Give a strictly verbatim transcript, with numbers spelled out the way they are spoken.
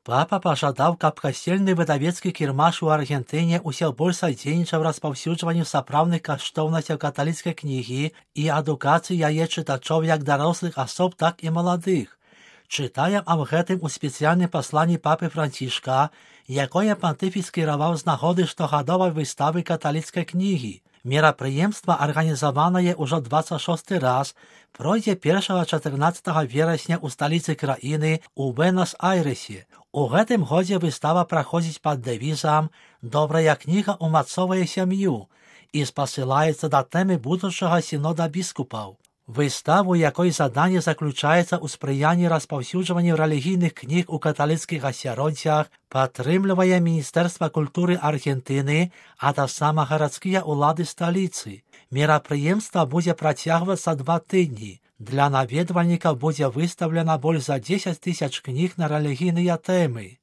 Папа пажадаў, каб касцельны выдавецкі кірмаш у Аргентыне ўсё больш садзейнічаў распаўсюджванню сапраўдных каштоўнасцяў каталіцкай кнігі і адукацыі яе чытачоў як дарослых асоб, так і маладых. Чытаем аб гэтым у спецыяльным пасланні папы Францішка, якое пантыфік скіраваў з нагоды штогадовай выставы каталіцкай кнігі. Мерапрыемства, арганізаванае ўжо дваццаць шосты раз, пройдзе першага-чатырнаццатага верасня ў сталіцы краіны у Буэнос-Айрэсе. У гэтым годзе выстава праходзіць пад дэвізам «Добрая кніга умацоўвае сям'ю» і спасылаецца да тэмы будучага сінода біскупаў. Выставу, якой заданне заключаецца ў спрыянні распаўсюджванню рэлігійных кніг у каталіцкіх асяроддзях, падтрымлівае Міністэрства культуры Аргентыны, а таксама гарадскія ўлады сталіцы. Мерапрыемства будзе працягвацца два тыдні. Для наведвальнікаў будзе выстаўлена больш за дзесяць тысяч кніг на рэлігійныя тэмы.